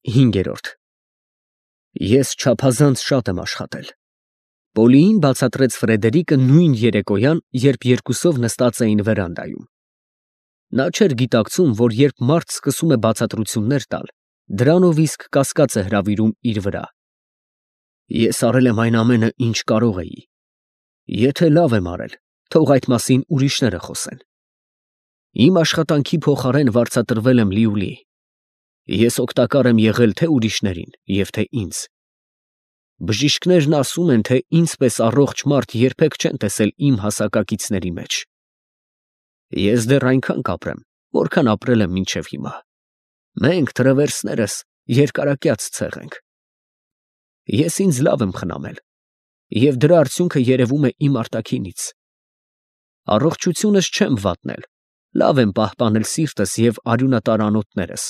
5. Ես չափազանց շատ եմ աշխատել։ Պոլիին բացատրեց Ֆրեդերիկը նույն երեկոյան, երբ երկուսով նստած էին վերանդայում։ Նա չէր գիտակցում, որ երբ մարդ սկսում է բացատրություններ տալ, դրանով իսկ կասկած է հրավիրում իր վրա։ Ես արել եմ այն ամենը, ինչ կարող էի։ Եթե լավ եմ արել, թող այդ մասին ուրիշները խոսեն։ Իմ աշխատանքի փոխարեն վարձատրվել եմ լիուլի։ Ես օգտակար եմ եղել թե ուրիշներին և թե ինձ։ Բժիշկներն ասում են, թե ինձպես առողջ մարդ երբեք չեն տեսել իմ հասակակիցների մեջ։ Ես դեռ այնքան կապրեմ, որքան ապրել եմ մինչև հիմա։ Մենք թրևերսներս երկարակյաց ցեղ ենք։ Ես ինձ լավ եմ խնամել, և դրա արդյունքը երևում է իմ արտաքինից։ Առողջությունս չեմ վատնել, լավ եմ պահպանել սիրտս և արյունատար անոթներս։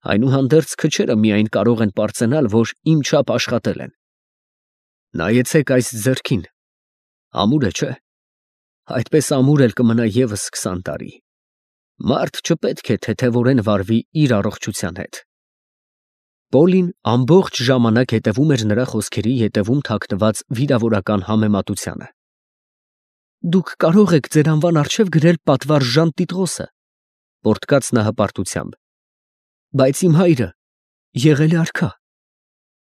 Այնուհանդերձ քչերը միայն կարող են պարծենալ, որ իմ չափ աշխատել են։ Նայեցեք այս ձեռքին, ամուր է, չէ՞։ Այդպես ամուր էլ կմնա ևս 20 տարի։ Մարդ չպետք է թեթևորեն վարվի իր առողջության հետ։ Պոլին ամբողջ ժամանակ հետևում էր նրա խոսքերի ետևում թաքնված վիրավորական համեմատությանը։ Դուք կարող եք ձեր անվան առջև գրել պատվարժան Տիտղոսը, պոռթկաց նա հպարտությամբ։ Բայց իմ հայրը եղել է արքա։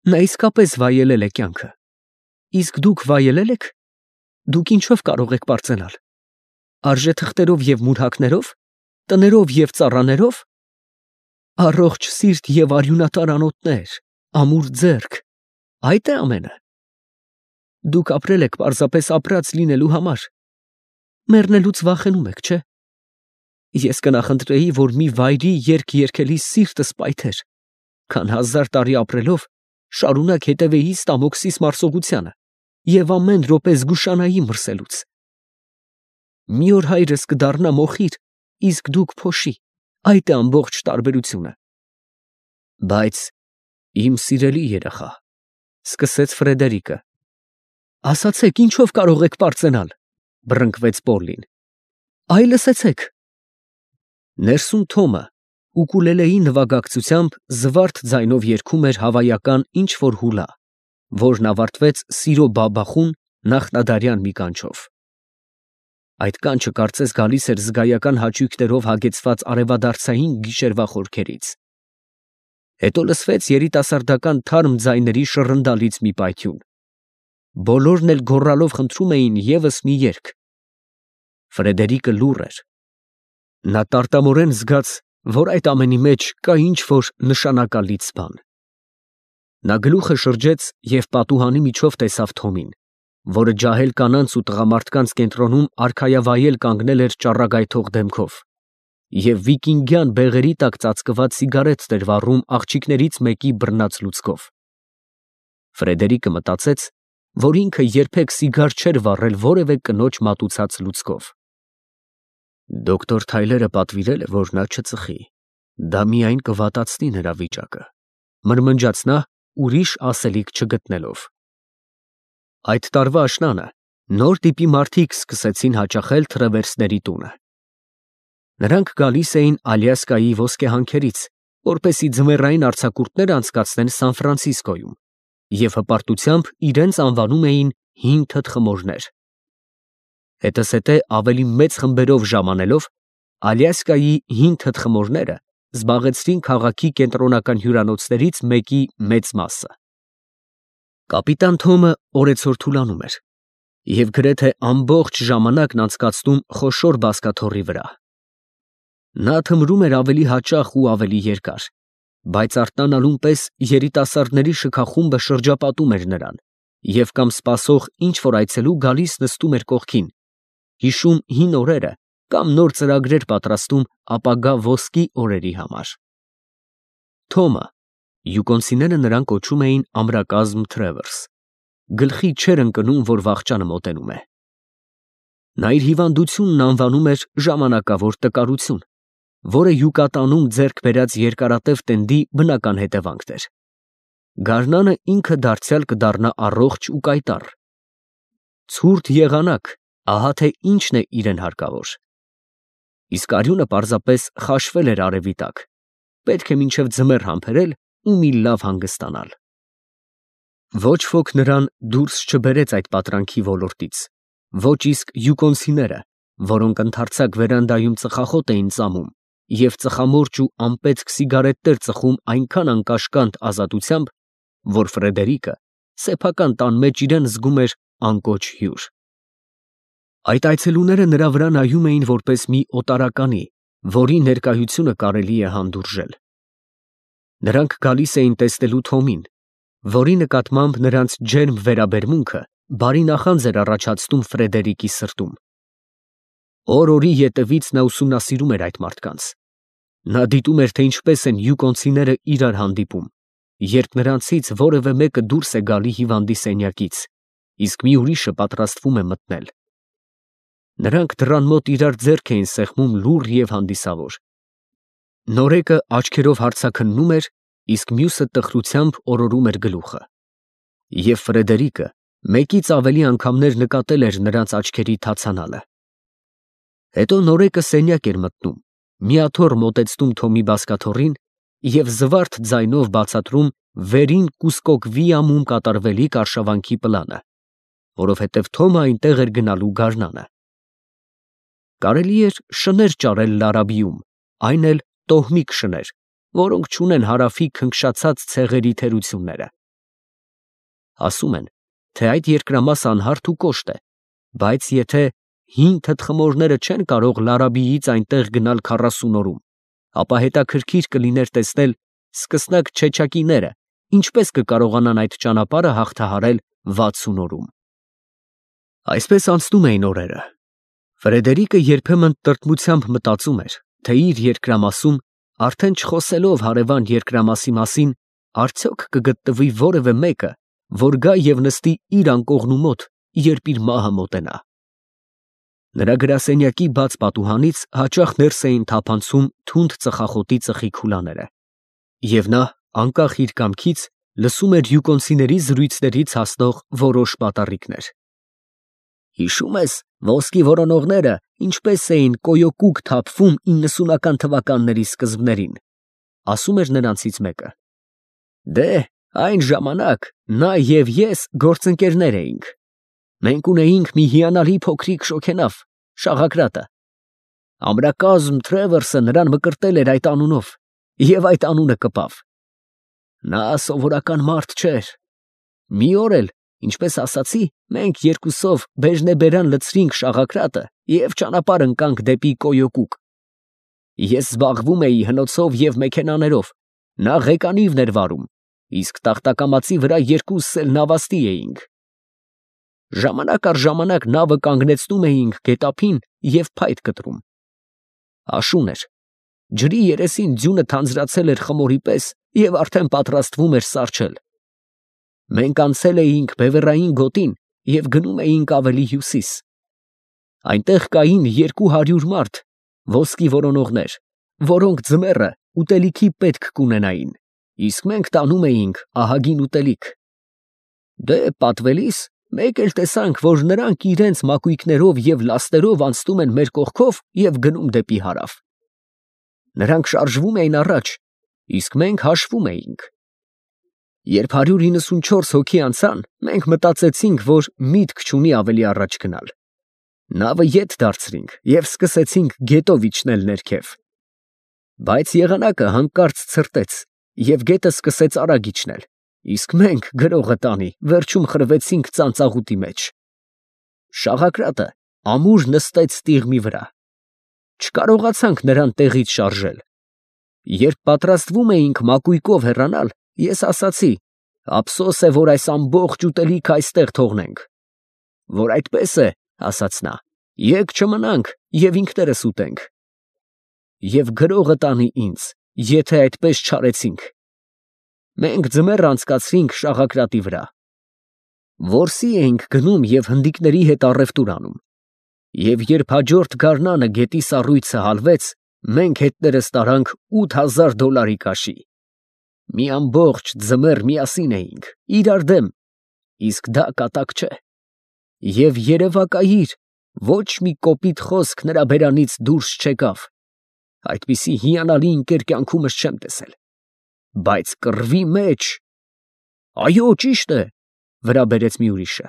Նա իսկապես վայելել է կյանքը։ Իսկ դուք վայելել եք։ Դուք ինչով կարող եք պարծենալ։ Արժեթղթերով և մուրհակներով, տներով և ծառաներով։ Առողջ սիրտ և արյունատար անոթներ, ամուր ձեռք, այդ է ամենը։ Դուք ապրել եք պարզապես ապրած լինելու համար։ Մեռնելուց վախենում եք, չէ՞։ Ես կնախընտրեի, որ մի վայրի երգ երգելիս սիրտս պայթեր, քան 1000 տարի ապրելով շարունակ հետևեի Ստամոքսիս մարսողությանը և ամեն րոպե զգուշանայի մրսելուց։ Մի օր հայրս կդառնա մոխիր, իսկ դուք փոշի, այդ է ամբողջ տարբերությունը։ Բայց իմ սիրելի երեխա, սկսեց Ֆրեդերիկը։ Ասացեք, ինչով կարող եք պարծենալ, բռնկվեց Պոլին։ Այ լսեցեք։ Ներսում Թոմը ուկուլելեի նվագակցությամբ զվարթ ձայնով երգում էր հավայական ինչ֊որ հուլա, որն ավարտվեց սիրո բաբախուն նախնադարյան մի կանչով։ Այդ կանչը կարծես գալիս էր զգայական հաճույքներով հագեցված արևադարձային գիշերվա խորքերից։ Հետո լսվեց երիտասարդական թարմ ձայների շռնդալից մի պայթյուն։ Բոլորն էլ գոռալով խնդրում էին ևս մի երգ։ Ֆրեդերիկը լուռ էր։ Նա տարտամորեն զգաց, որ այդ ամենի մեջ կա ինչ-որ նշանակալից բան։ Նա գլուխը շրջեց և պատուհանի միջով տեսավ Թոմին, որը ջահել կանանց ու տղամարդկանց կենտրոնում արքայավայել կանգնել էր ճառագայթող դեմքով և վիկինգյան բեղերի տակ ծածկված սիգարետ էր վառում աղջիկներից մեկի բռնած լուցկով։ Ֆրեդերիկը մտածեց, որ ինքը երբեք սիգար չէր վառել որևէ կնոջ մատուցած լուցկով։ Դոկտոր Թայլերը պատվիրել է, որ նա չծխի։ Դա միայն կվատացնի նրա վիճակը, մրմնջաց նա, ուրիշ ասելիք չգտնելով։ Այդ տարվա աշնանը նոր տիպի մարդիկ սկսեցին հաճախել թրևերսների տունը։ Նրանք գալիս էին Ալյասկայի ոսկեհանքերից, որպեսզի ձմեռային արձակուրդներ անցկացնեն Սան Ֆրանցիսկոյում, և հպարտությամբ իրենց անվանում էին հին թթխմորներ։ Հետզհետե ավելի մեծ խմբերով ժամանելով, Ալյասկայի հին թթխմորները զբաղեցրին քաղաքի կենտրոնական հյուրանոցներից մեկի մեծ մասը։ Կապիտան Թոմը օրեցօր թուլանում էր և գրեթե ամբողջ ժամանակն անցկացնում խոշոր բազկաթոռի վրա։ Նա թմրում էր ավելի հաճախ ու ավելի երկար, բայց արտանալուն պես երիտասարդների շքախումբը շրջապատում էր նրան և կամ սպասող ինչ-որ այցելու գալիս նստում էր կողքին, հիշում հին օրերը կամ նոր ծրագրեր պատրաստում ապագա ոսկի օրերի համար։ Թոմը, յուկոնցիները նրան կոչում էին ամրակազմ Թրևերս, գլխի չէր ընկնում, որ վախճանը մոտենում է։ Նա իր հիվանդությունն անվանում էր ժամանակավոր տկարություն, որը յուկատանում ձեռք բերած երկարատև տենդի բնական հետևանքն էր։ Գարնանը ինքը դարձյալ կդառնա առողջ ու կայտառ։ Ցուրտ եղանակ, ահա թե ինչն է իրեն հարկավոր։ Իսկ արյունը պարզապես խաշվել էր արևի տակ, պետք է մինչև ձմեռ համբերել ու մի լավ հանգստանալ։ Ոչ ոք նրան դուրս չբերեց այդ պատրանքի ոլորտից, ոչ իսկ յուկոնցիները, որոնք ընդարձակ վերանդայում ծխախոտ էին ծամում և ծխամորճ ու անպետք սիգարետներ ծխում այնքան անկաշկանդ ազատությամբ, որ Ֆրեդերիկը սեփական տան մեջ իրան զգում էր անկոչ հյուր։ Այդ այցելուները նրա վրա նայում էին որպես մի օտարականի, որի ներկայությունը կարելի է հանդուրժել։ Նրանք գալիս էին տեսնելու Թոմին, որի նկատմամբ նրանց ջերմ վերաբերմունքը բարի նախանձ էր առաջացնում Ֆրեդերիկի սրտում։ Օր-օրի ետևից նա ուսումնասիրում էր այդ մարդկանց։ Նա դիտում էր, թե ինչպես են յուկոնցիները իրար հանդիպում, երբ նրանցից որևէ մեկը դուրս է գալի հիվանդի սենյակից, իսկ մի ուրիշը պատրաստվում է մտնել։ Նրանք դռան մոտ իրար ձեռք էին սեղմում լուռ և հանդիսավոր։ Նորեկը աչքերով հարցաքննում էր, իսկ մյուսը տխրությամբ օրորում էր գլուխը։ Եվ Ֆրեդերիկը մեկից ավելի անգամներ նկատել էր նրանց աչքերի թացանալը։ Հետո նորեկը սենյակ էր մտնում, մի աթոռ մոտեցնում Թոմի բազկաթոռին և զվարթ ձայնով բացատրում վերին կուսկոկվի ամում կատարվելիք արշավանքի պլանը, որովհետև Թոմը այնտեղ էր գնալու գարնանը։ Կարելի էր շներ ճարել Լարաբիում, այն էլ տոհմիկ շներ, որոնք չունեն Հարավի քնքշացած ցեղերի թերությունները։ Ասում են, թե այդ երկրամասը անհարթ ու կոշտ է, բայց եթե հին թտխմորները չեն կարող Լարաբիից այնտեղ գնալ 40 օրում, ապա հետաքրքիր կլիներ տեսնել սկսնակ չեչակիները ինչպես կկարողանան այդ ճանապարհը հաղթահարել 60 օրում։ Այսպես անցնում էին օրերը։ Ֆրեդերիկը երբեմն տրտմությամբ մտածում էր, թե իր երկրամասում, արդեն չխոսելով հարևան երկրամասի մասին, արդյոք կգտնվի որևէ մեկը, որ գա և նստի իր անկողնու մոտ, երբ իր մահը մոտենա։ Նրա գրասենյակի բաց պատուհանից հաճախ ներս էին թափանցում թունդ ծխախոտի ծխի քուլաները, և նա, անկախ իր կամքից, լսում էր յուկոնցիների զրույցներից հասնող որոշ պատառիկներ։ Հիշո՞ւմ ես, ոսկի որոնողները ինչպես էին կոյոկուկ թափվում 90-ական թվականների սկզբներին, ասում էր նրանցից մեկը։ Դե, այն ժամանակ նա և ես գործընկերներ էինք։ Մենք ունեինք մի հիանալի փոքրիկ շոգենավ, Շաղակրատը։ Ամրակազմ Թրևերսը նրան մկրտել էր այդ անունով, և այդ անունը կպավ։ Նա սովորական մարդ չէր։ Մի օր էլ, ինչպես ասացի, մենք երկուսով բեժնեբերան լցրինք Շաղակրատը և ճանապարհ ընկանք դեպի Կոյոկուկ։ Ես զբաղվում էի հնոցով և մեքենաներով, նա ղեկանիվն էր վարում, իսկ տախտակամածի վրա երկուսս էլ նավաստի էինք։ Ժամանակ առ ժամանակ նավը կանգնեցնում էինք գետափին և փայտ կտրում։ Աշուն էր, ջրի երեսին ձյունը թանձրացել էր խմորի պես և արդեն պատրաստվում էր սառչել։ Մենք անցել էինք Բևեռային գոտին և գնում էինք ավելի հյուսիս։ Այնտեղ կային 200 մարդ, ոսկի որոնողներ, որոնք ձմեռը ուտելիքի պետք կունենային, իսկ մենք տանում էինք ահագին ուտելիք։ Դե պատվելիս մեկ էլ տեսանք, որ նրանք իրենց մակույկներով և լաստերով անցնում են մեր կողքով և գնում դեպի հարավ։ Նրանք շարժվում էին առաջ, իսկ մենք հաշվում էինք։ Երբ 194 հոգի անցան, մենք մտածեցինք, որ միտք չունի ավելի առաջ գնալ։ Նավը ետ դարձրինք և սկսեցինք գետով իջնել ներքև։ Բայց եղանակը հանկարծ ցրտեց, և գետը սկսեց արագ իջնել, իսկ մենք, գրողը տանի, վերջում խրվեցինք ծանծաղուտի մեջ։ Շաղակրատը ամուր նստեց տիղմի վրա։ Չկարողացանք նրան տեղից շարժել։ Երբ պատրաստվում էինք մակույկով հեռանալ, ես ասացի. «Ափսոս է, որ այս ամբողջ ուտելիքը այստեղ թողնենք»։ Որ այդպես է, ասաց նա, եկ չմնանք և ինքներս ուտենք։ Եվ գրողը տանի ինձ, եթե այդպես չարեցինք։ Մենք ձմեռ անցկացրինք Շաղակրատի վրա։ Որսի էինք գնում և հնդիկների հետ առևտուր անում։ Եվ երբ հաջորդ գարնանը գետի սառույցը հալվեց, մենք հետներս տարանք $8000 կաշի։ Մի ամբողջ ձմեռ միասին էինք, իրար դեմ, իսկ դա կատակ չէ։ Եվ երևակայիր, ոչ մի կոպիտ խոսք նրա բերանից դուրս չեկավ։ Այդպիսի հիանալի ընկեր կյանքումս չեմ տեսել։ բայց կռվի մեջ։ Այո, ճիշտ է, վրա բերեց մի ուրիշը։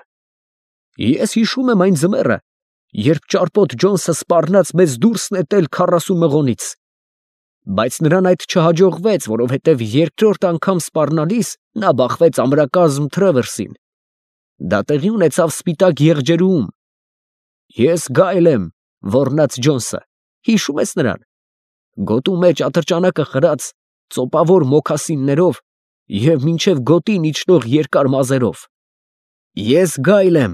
Ես հիշում եմ այն ձմեռը, երբ ճարպոտ Ջոնսը սպառնաց մեզ դուրս նետել 40 մղոնից։ Բայց նրան այդ չհաջողվեց, որովհետև երկրորդ անգամ սպառնալիս նա բախվեց ամրակազմ Թրևերսին։ Դա տեղի ունեցավ Սպիտակ եղջերուում։ Ես Գայլ եմ, ոռնաց Ջոնսը, հիշում ես նրան։ Գոտու մեջ ատրճանակը խրած, ծոպավոր մոքասիններով և մինչև գոտին իջնող երկար մազերով։ Ես Գայլ եմ,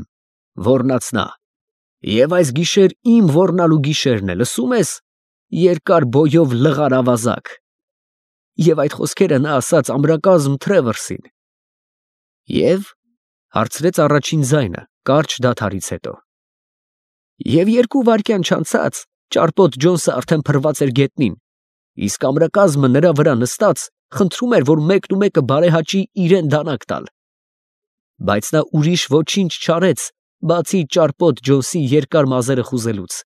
ոռնաց նա, և այս գիշեր իմ ոռնալու գիշերն է, լսում ես, երկար բոյով լղար ավազակ։ Եվ այդ խոսքերը նա ասաց ամրակազմ Թրևերսին։ Եվ, հարցրեց առաջին ձայնը, կարճ դադարից հետո։ Եվ 2 վայրկյան չանցած, ճարպոտ Ջոնսը արդեն փռված էր գետնին, իսկ ամրակազմը նրա վրա նստած խնդրում էր, որ մեկն ու մեկը բարեհաճի իրեն դանակ տալ։ Բայց նա ուրիշ ոչինչ չարեց, բացի ճարպոտ Ջոնսի երկար մազերը խուզելուց։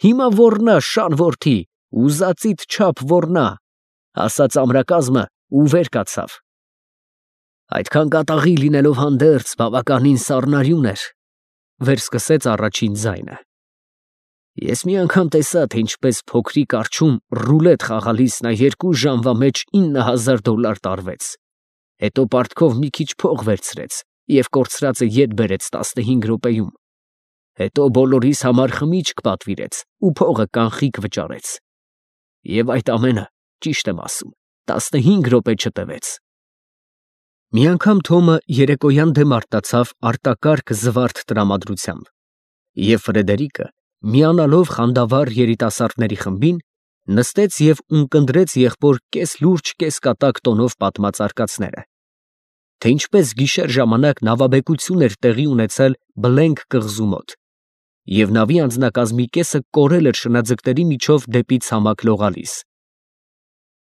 Հիմա ոռնա, շան որդի, ուզածիդ չափ ոռնա, ասաց ամրակազմը ու վեր կացավ։ Այդքան կատաղի լինելով հանդերձ բավականին սառնարյուն էր, վեր սկսեց առաջին ձայնը։ Ես մի անգամ տեսա, թե ինչպես փոքրիկ արջում ռուլետ խաղալիս նա 2 ժամվա մեջ $9,000 տարվեց, հետո պարտքով մի քիչ փող վերցրեց և կորցրածը ետ բերեց 15 րոպեում, հետո բոլորիս համար խմիչք պատվիրեց ու փողը կանխիկ վճարեց։ Եվ այդ ամենը, ճիշտ եմ ասում, 15 րոպե չտևեց։ Մի անգամ Թոմը երեկոյան դեմ արտացավ արտակարգ զվարթ տրամադրությամբ, և Ֆրեդերիկը, միանալով խանդավառ երիտասարդների խմբին, նստեց և ունկնդրեց եղբոր կես լուրջ, կես կատակ տոնով պատմած արկածները, թե ինչպես գիշեր ժամանակ նավաբեկություն էր տեղի ունեցել Բլենք կղզու մոտ, և նավի անձնակազմի կեսը կորել էր շնաձկների միջով դեպի ցամաք լողալիս,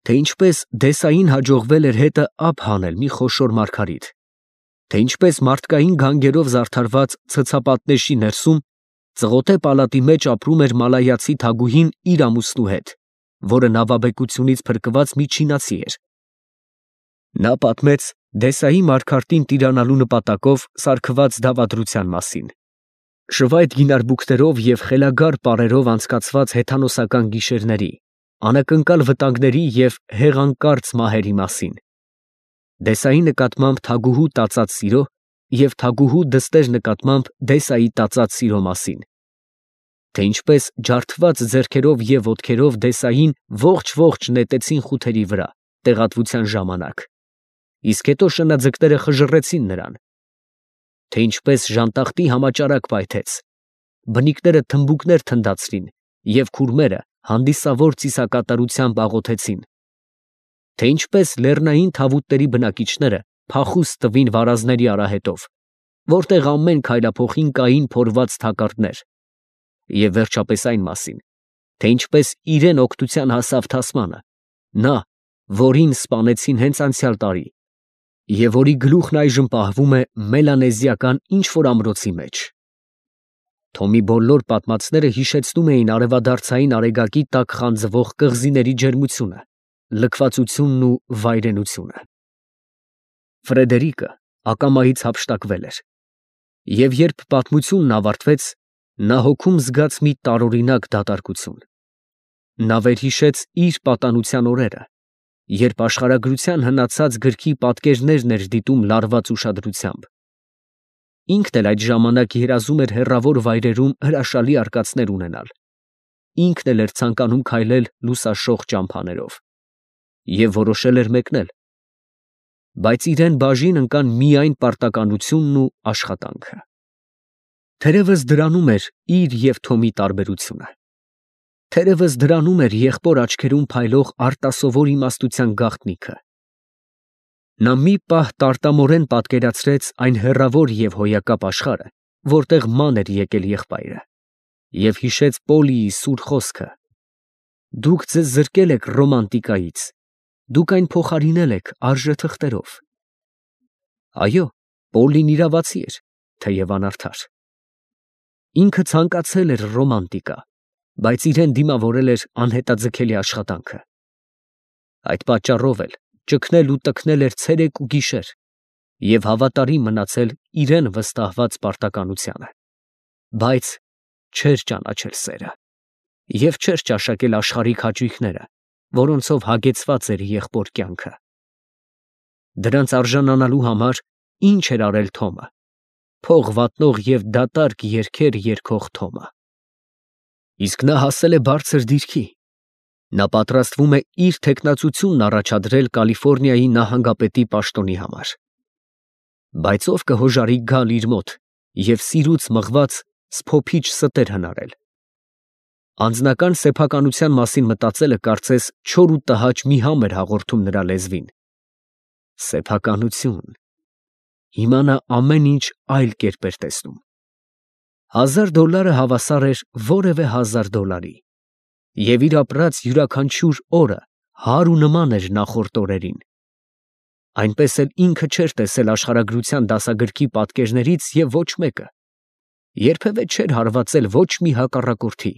թե ինչպես Դեսային հաջողվել էր հետը ափ հանել մի խոշոր մարգարիտ, թե ինչպես մարդկային գանգերով զարդարված ցցապատնեշի ներսում ծղոտե պալատի մեջ ապրում էր մալայացի թագուհին իր ամուսնու հետ, որը նավաբեկությունից փրկված մի չինացի էր։ Նա պատմեց Դեսայի մարգարտին տիրանալու նպատակով սարքված դավադրության մասին, շվայտ գինարբուկներով և խելագար պարերով անցկացված հեթանոսական գիշերների, անակնկալ վտանգների և հեղանկարծ մահերի մասին, Դեսայի նկատմամբ թագուհու տածած սիրո և թագուհու դստեր նկատմամբ Դեսայի տածած սիրո մասին, թե ինչպես ջարդված ձեռքերով և ոտքերով Դեսային ողջ նետեցին խութերի վրա տեղատվության ժամանակ, իսկ հետո շնաձկները խժռեցին նրան, թե ինչպես ժանտախտի համաճարակ պայթեց, բնիկները թմբուկներ թնդացրին և քուրմերը հանդիսավոր ծիսակատարությամբ աղոթեցին, թե ինչպես լեռնային թավուտների բնակիչները փախուստ տվին վարազների արահետով, որտեղ ամեն քայլափոխին կային փորված թակարդներ, և վերջապես այն մասին, թե ինչպես իրեն օգնության հասավ Թասմանը, նա, որին սպանեցին հենց անցյալ տարի, և որի գլուխն այժմ պահվում է մելանեզիական ինչ֊որ ամրոցի մեջ։ Թոմի բոլոր պատմածները հիշեցնում էին արևադարձային արեգակի տակ խանձվող կղզիների ջերմությունը, լքվածությունն ու վայրենությունը։ Ֆրեդերիկը ակամայից հափշտակվել էր, և երբ պատմությունն ավարտվեց, նա հոգում զգաց մի տարօրինակ դատարկություն։ Նա վերհիշեց իր պատանության օրերը, երբ աշխարհագրության հնացած գրքի պատկերներն էր դիտում լարված ուշադրությամբ։ Ինքն էլ այդ ժամանակ երազում էր հեռավոր վայրերում հրաշալի արկածներ ունենալ, ինքն էլ էր ցանկանում քայլել լուսաշող ճամփաներով, և որոշել էր մեկնել, բայց իրան բաժին ընկան միայն պարտականությունն ու աշխատանքը։ Թերևս դրանում էր իր և Թոմի տարբերությունը։ Թերևս դրանում էր եղբոր աչքերում փայլող արտասովոր իմաստության գաղտնիքը։ Նա մի պահ տարտամորեն պատկերացրեց այն հեռավոր և հոյակապ աշխարհը, որտեղ ման էր եկել եղբայրը, և հիշեց Պոլիի սուր խոսքը. «Դուք ձեզ զրկել եք ռոմանտիկայից, դուք այն փոխարինել եք արժեթղթերով»։ Այո, Պոլին իրավացի էր, թեև անարդար։ Ինքը ցանկացել էր ռոմանտիկա, բայց իրեն դիմավորել էր անհետաձգելի աշխատանքը։ Այդ պատճառով էլ ճգնել ու տքնել էր ցերեկ ու գիշեր և հավատարիմ մնացել իրեն վստահված պարտականությանը, բայց չէր ճանաչել սերը և չէր ճաշակել աշխարհիկ հաճույքները, որոնցով հագեցված էր եղբոր կյանքը։ Դրանց արժանանալու համար ինչ էր արել Թոմը, փող վատնող և դատարկ երգեր երգող Թոմը։ Իսկ նա հասել է բարձր դիրքի։ Նա պատրաստվում է իր թեկնածությունն առաջադրել Կալիֆոռնիայի նահանգապետի պաշտոնի համար։ Բայց ով կհոժարի գալ իր մոտ և սիրուց մղված սփոփիչ ստեր հնարել։ Անձնական սեփականության մասին մտածելը կարծես չոր ու տհաճ մի համ էր հաղորդում նրա լեզվին։ Սեփականություն։ Հիմա նա ամեն ինչ այլ կերպ էր տեսնում։ $1000 հավասար էր որևէ $1000 և իր ապրած յուրաքանչյուր օրը հարու նման էր նախորդ օրերին։ Այնպես էլ ինքը չէր տեսել աշխարհագրության դասագրքի պատկերներից և ոչ մեկը, երբևէ չէր հարվածել ոչ մի հակառակորդի,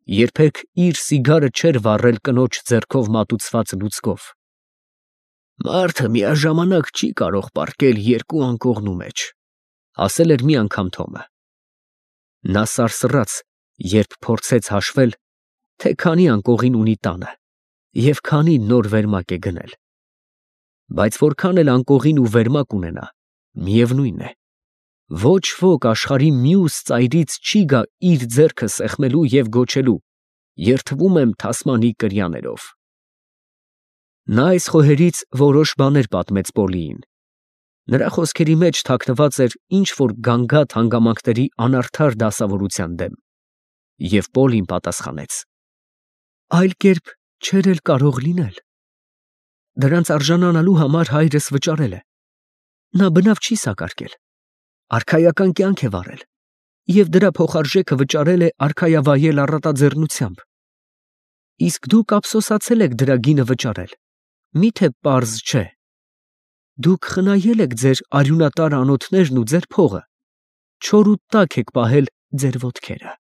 երբեք իր սիգարը չէր վառել կնոջ ձեռքով մատուցված լուցկով։ Մարդը միաժամանակ չի կարող պառկել երկու անկողնու մեջ, ասել էր մի անգամ Թոմը։ Նա սարսռաց, երբ փորձեց հաշվել, թե քանի անկողին ունի տանը և քանի նոր վերմակ է գնել։ Բայց որքան էլ անկողին ու վերմակ ունենա, միևնույն է, ոչ ոք աշխարհի մյուս ծայրից չի գա իր ձեռքը սեղմելու և գոչելու. «Երդվում եմ թասմանի կրյաներով»։ Նա այս խոհերից որոշ բաներ պատմեց Պոլիին։ Նրա խոսքերի մեջ թաքնված էր ինչ֊որ գանգատ հանգամանքների անարդար դասավորության դեմ, և Պոլին պատասխանեց. «Այլ կերպ չէր էլ կարող լինել։ Դրանց արժանանալու համար հայրս վճարել է։ Նա բնավ չի սակարկել, արքայական կյանք է վարել և դրա փոխարժեքը վճարել է արքայավայել առատաձեռնությամբ։ Իսկ դուք ափսոսացել եք դրա գինը վճարել, մի՞թե պարզ չէ։ Դուք խնայել եք ձեր արյունատար անոթներն ու ձեր փողը, չոր ու տաք եք պահել ձեր ոտքերը»։